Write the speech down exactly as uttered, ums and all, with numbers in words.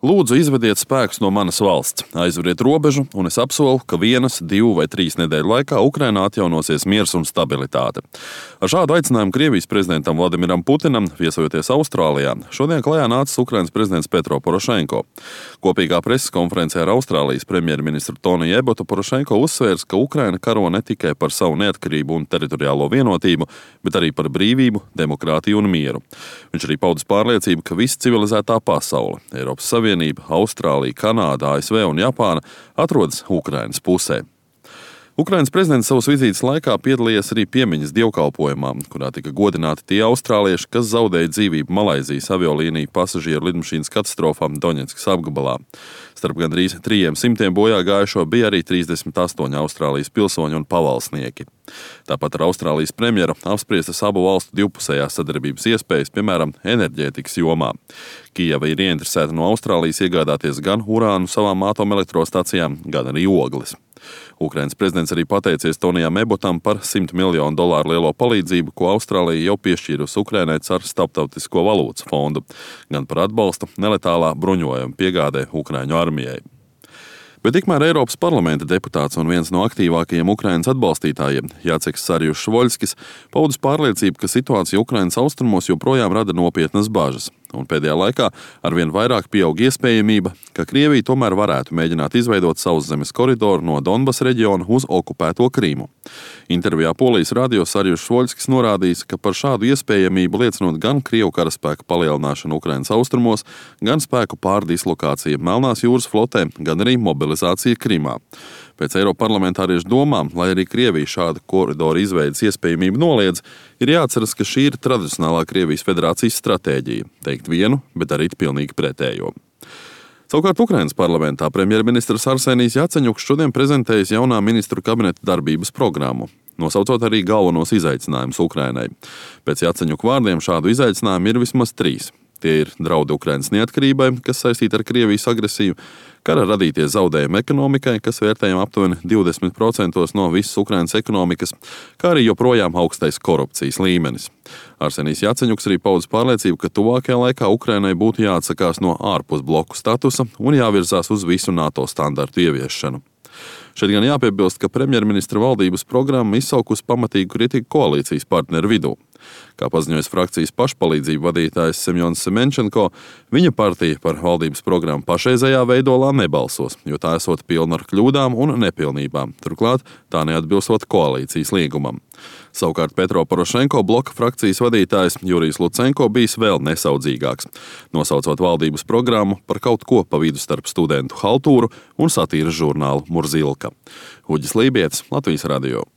Lūdzu, izvediet spēkus no manas valsts, aizveriet robežu, un es apsolu, ka vienas, divu vai trīs nedēļu laikā Ukrainā atjaunosies miers un stabilitāte. Ar šādu aicinājumu Krievijas prezidentam Vladimiram Putinam, viesojoties Austrālijā, šodien klajā nācis Ukrainas prezidents Petro Porošenko. Kopīgā preses konferencē ar Austrālijas premjerministru Toniju Ebotu Porošenko uzsvērs, ka Ukraina karo ne tikai par savu neatkarību un teritoriālo vienotību, bet arī par brīvību, demokrātiju un mieru. Viņš arī paudis pārliecību, ka visa civilizētā pasaule, Eiropas Savienība, Austrālija, Kanāda, A S V un Japāna atrodas Ukrainas pusē. Ukrainas prezidents savas vizītes laikā piedalījies arī piemiņas dievkalpojumā, kurā tika godināti tie austrālieši, kas zaudēja dzīvību Malaizijas aviolīniju pasažieru lidmašīnas katastrofā Doņetskas apgabalā. Starp gandrīz trījiem simtiem bojā gājušo bija arī trīsdesmit astoņi Austrālijas pilsoņi un pavalsnieki. Tāpat ar Austrālijas premjeru apspriestas abu valstu divpusējās sadarbības iespējas, piemēram, enerģētikas jomā. Kijeva ir ieinteresēta no Austrālijas iegādāties gan urānu savām atomelektrostacijām, gan arī ogles. Ukrainas prezidents arī pateicies Tonijam Ebotam par simt miljonu dolāru lielo palīdzību, ko Austrālija jau piešķīrusi Ukrainai caur Starptautisko valūtas fondu, gan par atbalstu neletālā bruņojuma piegādē Ukraiņu armijai. Bet tikmēr Eiropas parlamenta deputāts un viens no aktīvākajiem Ukrainas atbalstītājiem, Jaceks Sarjušs-Voļskis, paudis pārliecību, ka situācija Ukrainas austrumos joprojām rada nopietnas bažas. Un pēdējā laikā arvien vairāk pieaug iespējamība, ka Krievija tomēr varētu mēģināt izveidot sauszemes koridoru no Donbas reģiona uz okupēto Krīmu. Intervijā Polijas radio Sarjušs-Voļskis norādījis, ka par šādu iespējamību liecinot gan Krievu karaspēku palielināšanu Ukrainas austrumos, gan spēku pārdislokācija Melnās jūras flotē, gan arī mobilizācija Krimā. Pēc eiroparlamentāriešu domām, lai arī Krievija šādu koridoru izveidas iespējamību noliedz, ir jāatceras, ka šī ir tradicionālā Krievijas federācijas stratēģija – teikt vienu, bet darīt pilnīgi pretējo. Savukārt Ukrainas parlamentā premjerministrs Arsenijs Jaceņuks šodien prezentējis jaunā ministru kabineta darbības programmu, nosaucot arī galvenos izaicinājumus Ukrainai. Pēc Jaceņuka vārdiem šādu izaicinājumu ir vismaz trīs. Tie ir draudi Ukrainas neatkarībai, kas saistīti ar Krievijas agresiju, kara radītie zaudējumi ekonomikai, kas vērtējami aptuveni divdesmit procenti no visas Ukrainas ekonomikas, kā arī joprojām augstais korupcijas līmenis. Arsenijs Jaceņuks arī paudis pārliecību, ka tuvākajā laikā Ukrainai būtu jāatsakās no ārpusbloku statusa un jāvirzās uz visu NATO standartu ieviešanu. Šeit gan jāpiebilst, ka premjerministra valdības programma izsaukusi pamatīgu kritiku koalīcijas partneru vidū. Kā paziņojas frakcijas pašpalīdzību vadītājs Semjons Semenčenko, viņa partija par valdības programmu pašreizējā veidolā nebalsos, jo tā esot pilna ar kļūdām un nepilnībām. Turklāt tā neatbilstot koalīcijas līgumam. Savukārt Petro Porošenko bloka frakcijas vadītājs Jurijs Lucenko bijis vēl nesaudzīgāks, nosaucot valdības programmu par kaut ko pa vidu starp studentu haltūru un satīras žurnālu Murzilka. Uģis Lībietis, Latvijas radio.